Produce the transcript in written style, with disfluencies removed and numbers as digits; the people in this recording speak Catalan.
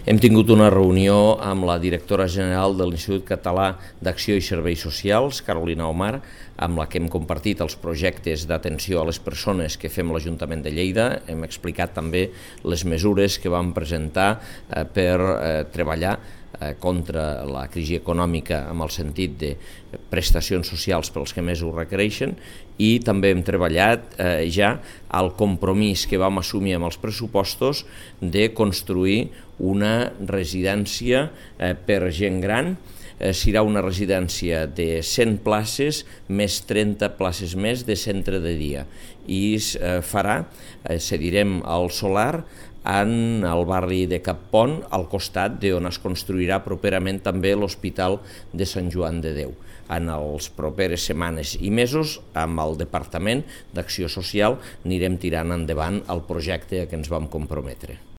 Hem tingut una reunió amb la directora general de l'Institut Català d'Acció i Serveis Socials, Carolina Omar, amb la que hem compartit els projectes d'atenció a les persones que fem l'Ajuntament de Lleida. Hem explicat també les mesures que vam presentar per treballar contra la crisi econòmica amb el sentit de prestacions socials pels que més ho requereixen, i també hem treballat ja el compromís que vam assumir amb els pressupostos de construir una residència per gent gran. Serà una residència de 100 places més 30 places més de centre de dia i es farà, cedirem al solar en el barri de Cappont, al costat d'on es construirà properament també l'Hospital de Sant Joan de Déu. En les properes setmanes i mesos, amb el Departament d'Acció Social, anirem tirant endavant el projecte a què ens vam comprometre.